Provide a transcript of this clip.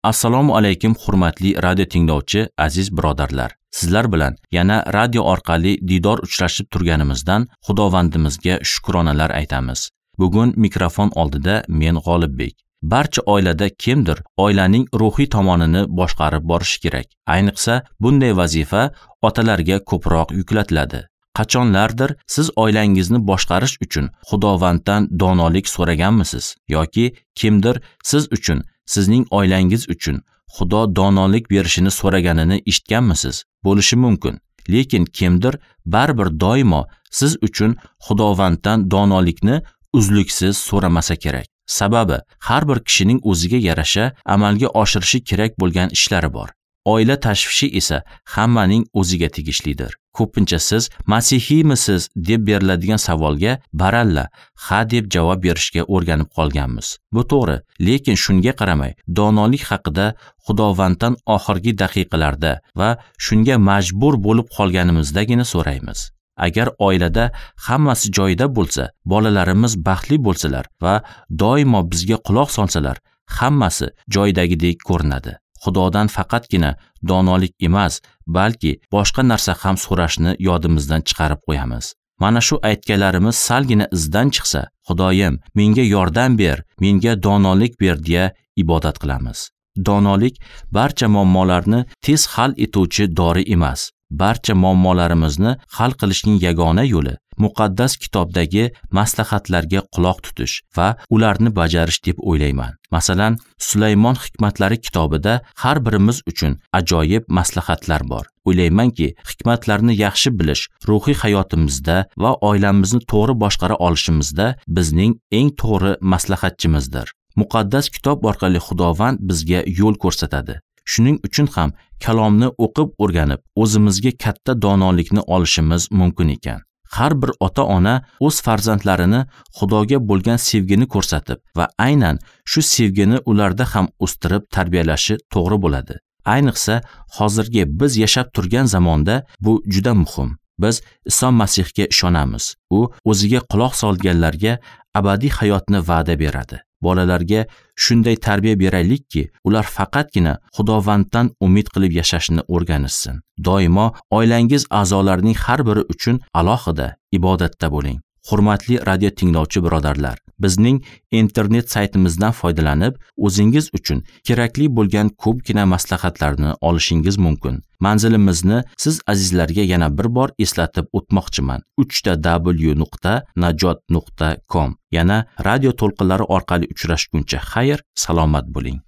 Assalomu alaykum, hurmatli radio tinglovchi aziz birodarlar. Sizlar bilan yana radio orqali diydor uchrashib turganimizdan Xudovandimizga shukronalar aytamiz. Bugun mikrofon oldida men G'olibbek. Barcha oilada kimdir oilaning ruhiy tomonini boshqarib borishi kerak. Ayniqsa, bunday vazifa otalarga ko'proq yuklatiladi. Qachonlardir siz oilangizni boshqarish uchun Xudovanddan donolik so'raganmisiz yoki kimdir siz uchun, sizning oilangiz uchun Xudo donolik berishini so'raganini eshitganmisiz? Bo'lishi mumkin. Lekin kimdir baribir doimo siz uchun Xudovanddan donolikni uzluksiz so'ramasa kerak. Sababi, har bir kishining o'ziga yarasha amalga oshirishi kerak bo'lgan ishlari bor. Oila tashvishi esa hammaning o'ziga tegishlidir. Ko'pincha siz masihiymisiz deb beriladigan savolga baralla ha deb javob berishga o'rganib qolganmiz. Bu to'g'ri, lekin shunga qaramay donolik haqida Xudovanddan oxirgi daqiqalarda va shunga majbur bo'lib qolganimizdagina so'raymiz. Agar oilada hammasi joyida bo'lsa, bolalarimiz baxtli bo'lsalar va doimo bizga quloq solsalar, hammasi joyidagidek ko'rinadi. Xudodan faqatgina donolik emas, balki boshqa narsa ham so'rashni yodimizdan chiqarib qo'yamiz. Mana shu aytganlarimiz salgina izdan chiqsa, Xudoyim, menga yordam ber, menga donolik ber deya ibodat qilamiz. Donolik barcha muammolarni tez hal etuvchi dori emas. Barcha muammolarimizni hal qilishning yagona yo'li muqaddas kitobdagi maslahatlarga quloq tutish va ularni bajarish deb o'ylayman. Masalan, Sulaymon hikmatlari kitobida har birimiz uchun ajoyib maslahatlar bor. O'ylaymanki, hikmatlarni yaxshi bilish ruhiy hayotimizda va oilamizni to'g'ri boshqara olishimizda bizning eng to'g'ri maslahatchimizdir. Muqaddas kitob orqali Xudovand bizga yo'l ko'rsatadi. Shuning uchun ham kalomni o'qib o'rganib, o'zimizga katta donolikni olishimiz mumkin ekan. Har bir ota-ona o'z farzandlarini Xudoga bo'lgan sevgini ko'rsatib va aynan shu sevgini ularda ham o'stirib tarbiyalashi to'g'ri bo'ladi. Ayniqsa, hozirgi biz yashab turgan zamonda bu juda muhim. Biz Iso Masihga ishonamiz. U o'ziga quloq solganlarga abadiy hayotni va'da beradi. Bolalarga shunday tarbiya beraylikki, ular faqatgina Xudovanddan umid qilib yashashni o'rganishsin. Doimo oilangiz a'zolarining har biri uchun alohida ibodatda bo'ling. Hurmatli radio tinglovchi birodarlar, bizning internet saytimizdan foydalanib, o'zingiz uchun kerakli bo'lgan ko'pgina maslahatlarni olishingiz mumkin. Manzilimizni siz azizlarga yana bir bor eslatib o'tmoqchiman. www.najot.com. Yana radio to'lqinlari orqali uchrashguncha xayr, salomat bo'ling.